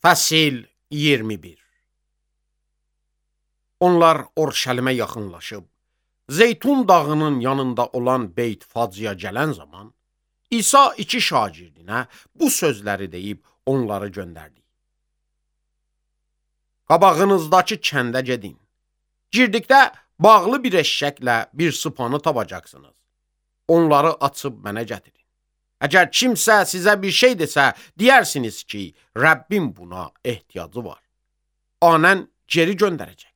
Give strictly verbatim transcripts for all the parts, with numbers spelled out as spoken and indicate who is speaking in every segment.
Speaker 1: Fəsil iyirmi bir. Onlar Orşəlimə yaxınlaşıb, Zeytun dağının yanında olan Beyt Facıya gələn zaman, İsa iki şagirdinə bu sözləri deyib onları göndərdi. Qabağınızdakı kəndə gedin. Girdikdə bağlı bir eşşəklə bir sıpanı tapacaqsınız. Onları açıb mənə gətirin. Əgər kimsə sizə bir şey desə, deyərsiniz ki, Rəbbim buna ehtiyacı var. Anən geri göndərəcək.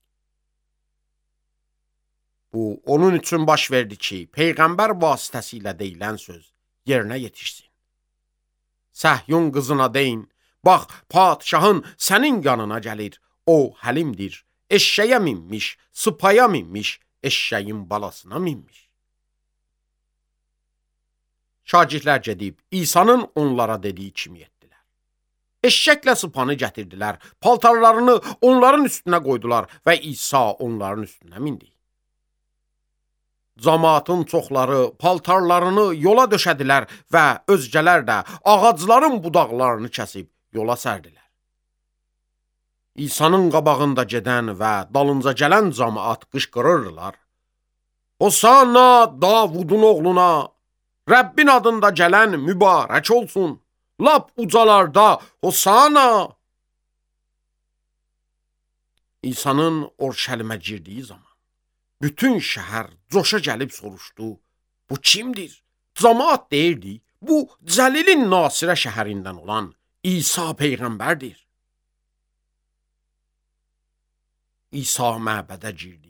Speaker 1: Bu, onun üçün baş verdi ki, Peyğəmbər vasitəsilə deyilən söz yerinə yetişsin. Səhyun qızına deyin, bax, padişahın sənin yanına gəlir, o həlimdir, eşşəyə minmiş, sıpaya minmiş, eşşəyin balasına minmiş. Şagirdlər gedib, İsa'nın onlara dediyi kimi etdilər. Eşşəklə sıpanı gətirdilər, paltarlarını onların üstünə qoydular və İsa onların üstünə mindi. Camaatın çoxları paltarlarını yola döşədilər və özgələr də ağacların budaqlarını kəsib yola sərdilər. İsa'nın qabağında gedən və dalınca gələn camaat qışqırırdılar. Hosanna Davudun oğluna! Rəbbin adında gələn mübarək olsun. Lap ucalarda Hosanna. İsa'nın Orşəlimə girdiyi zaman bütün şəhər coşa gəlib soruşdu. Bu kimdir? Camaat deyirdi, bu Cəlilin Nasirə şəhərindən olan İsa Peyğəmbərdir. İsa məbədə girdi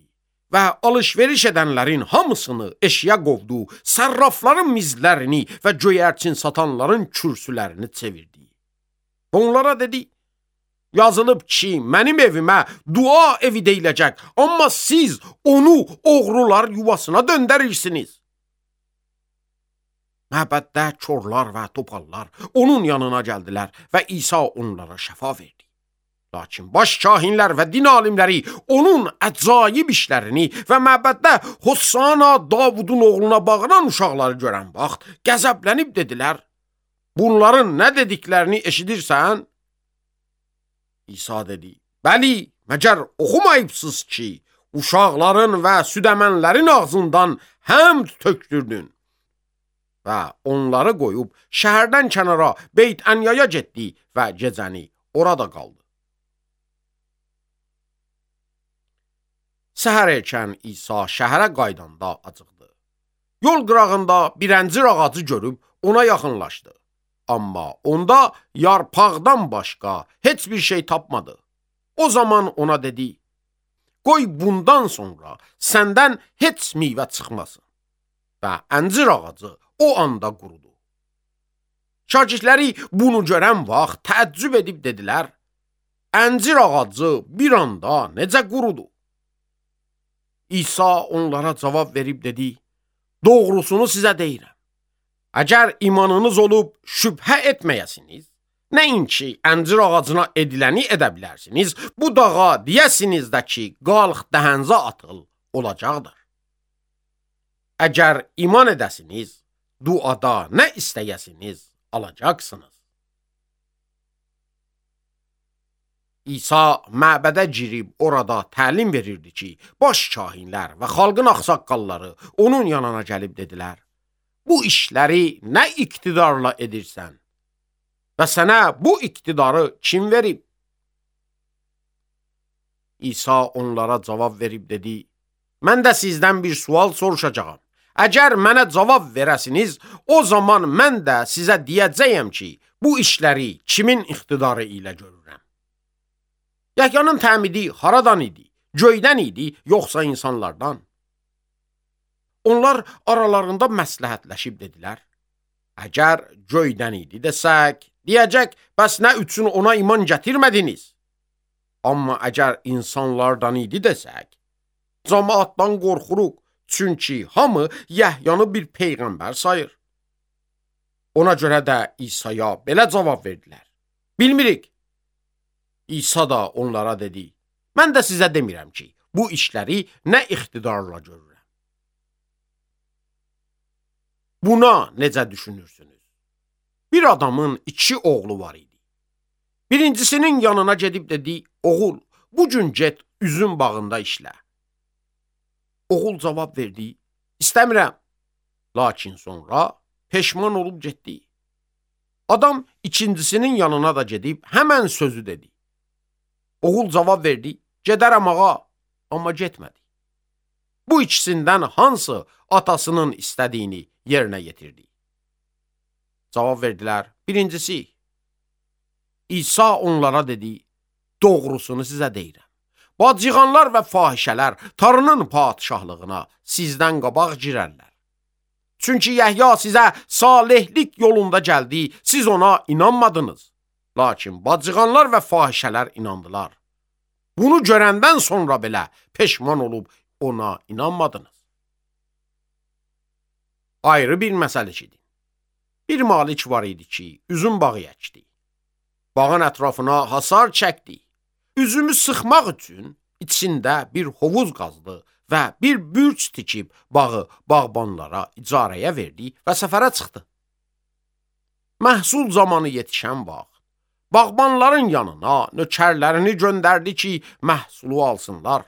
Speaker 1: və alış-veriş edənlərin hamısını eşiyə qovdu, sərrafların mizlərini və göyərçin satanların kürsülərini çevirdi. Onlara dedi, yazılıb ki, mənim evimə dua evi deyiləcək, amma siz onu oğrular yuvasına döndərirsiniz. Məbəddə korlar və topallar onun yanına gəldilər və İsa onlara şəfa verdi. Lakin baş kahinlər və din alimləri onun əcaib işlərini və məbəddə Hosanna Davudun oğluna bağıran uşaqları görən vaxt qəzəblənib dedilər, bunların nə dediklərini eşidirsən? İsa dedi, bəli, məgər oxumayıbsınız ki, uşaqların və südəmənlərin ağzından həmd tökdürdün. Və onları qoyub şəhərdən kənara Beyt Ənyaya getdi və gecəni orada qaldı. Səhər erkən İsa şəhərə qaydanda acıqdı. Yol qırağında bir əncir ağacı görüb ona yaxınlaşdı. Amma onda yarpaqdan başqa heç bir şey tapmadı. O zaman ona dedi, qoy bundan sonra səndən heç meyvə çıxmasın. Və əncir ağacı o anda qurudu. Şagirdləri bunu görən vaxt təəccüb edib dedilər, əncir ağacı bir anda necə qurudu? İsa onlara cavab verib dedi, doğrusunu sizə deyirəm. Əgər imanınız olub şübhə etməyəsiniz, nəinki əncir ağacına ediləni edə bilərsiniz, bu dağa deyəsiniz də ki, qalx dəhənzə atıl, olacaqdır. Əgər iman edəsiniz, duada nə istəyəsiniz, alacaqsınız. İsa məbədə girib orada təlim verirdi ki, baş kahinlər və xalqın ağsaqqalları onun yanına gəlib dedilər, bu işləri nə iqtidarla edirsən və sənə bu iqtidarı kim verib? İsa onlara cavab verib dedi, mən də sizdən bir sual soruşacağam. Əgər mənə cavab verəsiniz, o zaman mən də sizə deyəcəyəm ki, bu işləri kimin iqtidarı ilə görürəm? Yəhyanın təmidi haradan idi? Göydən idi, yoxsa insanlardan? Onlar aralarında məsləhətləşib dedilər, əgər göydən idi desək, deyəcək, bəs nə üçün ona iman gətirmədiniz? Amma əgər insanlardan idi desək, cəmaatdan qorxuruq, çünki hamı Yəhyanı bir peyğəmbər sayır. Ona görə də İsa'ya belə cavab verdilər, bilmirik. İsa da onlara dedi, mən də sizə demirəm ki, bu işləri nə iqtidarla görürəm. Buna necə düşünürsünüz? Bir adamın iki oğlu var idi. Birincisinin yanına gedib dedi, oğul, bu gün get üzüm bağında işlə. Oğul cavab verdi, istəmirəm. Lakin sonra peşman olub getdi. Adam ikincisinin yanına da gedib həmən sözü dedi. Oğul cavab verdi, gedərəm ağa, amma getmədi. Bu ikisindən hansı atasının istədiyini yerinə yetirdi? Cavab verdilər, birincisi. İsa onlara dedi, doğrusunu sizə deyirəm. Bacıqanlar və fahişələr Tanrının padişahlığına sizdən qabaq girərlər. Çünki Yəhya sizə salihlik yolunda gəldi, siz ona inanmadınız. Lakin bacıqanlar və fahişələr inandılar. Bunu görəndən sonra belə peşman olub ona inanmadınız. Ayrı bir məsələ idi. Bir malik var idi ki, üzüm bağı əkdi. Bağın ətrafına hasar çəkdi. Üzümü sıxmaq üçün içində bir hovuz qazdı və bir bürc tikib bağı bağbanlara icarəyə verdi və səfərə çıxdı. Məhsul zamanı yetişən bağ, bağbanların yanına nökərlərini göndərdi ki, məhsulu alsınlar.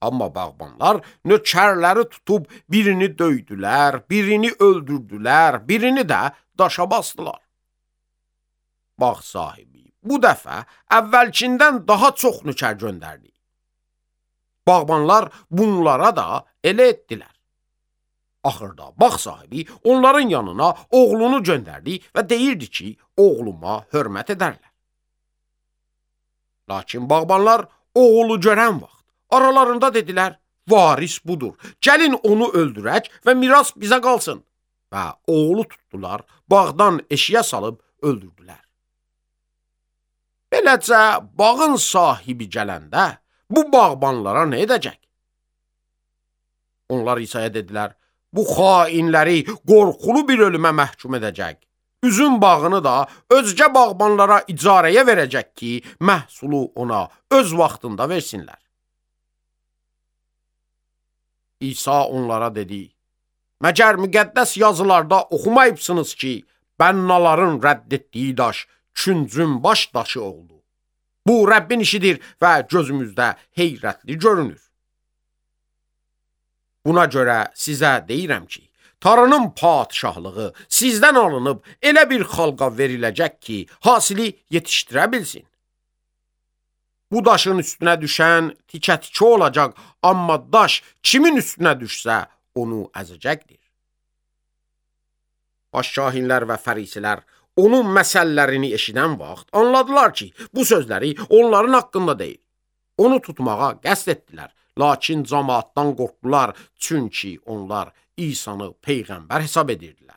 Speaker 1: Amma bağbanlar nökərləri tutub birini döydülər, birini öldürdülər, birini də daşa basdılar. Bağ sahibi bu dəfə əvvəlkindən daha çox nökər göndərdi. Bağbanlar bunlara da elə etdilər. Axırda bağ sahibi onların yanına oğlunu göndərdi və deyirdi ki, oğluma hörmət edərlər. Lakin bağbanlar oğlu görən vaxt aralarında dedilər, varis budur, gəlin onu öldürək və miras bizə qalsın. Və oğlu tutdular, bağdan eşiyə salıb öldürdülər. Beləcə, bağın sahibi gələndə bu bağbanlara nə edəcək? Onlar İsa'ya dedilər, bu xainləri qorxulu bir ölümə məhkum edəcək. Üzüm bağını da özgə bağbanlara icarəyə verəcək ki, məhsulu ona öz vaxtında versinlər. İsa onlara dedi, məgər müqəddəs yazılarda oxumayıbsınız ki, bənnaların rədd etdiyi daş küncün baş daşı oldu. Bu Rəbbin işidir və gözümüzdə heyrətli görünür. Buna görə sizə deyirəm ki, Tanrının padişahlığı sizdən alınıb elə bir xalqa veriləcək ki, hasili yetişdirə bilsin. Bu daşın üstünə düşən tikə-tikə olacaq, amma daş kimin üstünə düşsə, onu əzəcəkdir. Başkahinlər və fərisilər onun məsəllərini eşidən vaxt anladılar ki, bu sözləri onların haqqında deyil. Onu tutmağa qəsd etdilər, lakin cəmaatdan qorxdular, çünki onlar İsa'nı peyğəmbər hesab edirdilər.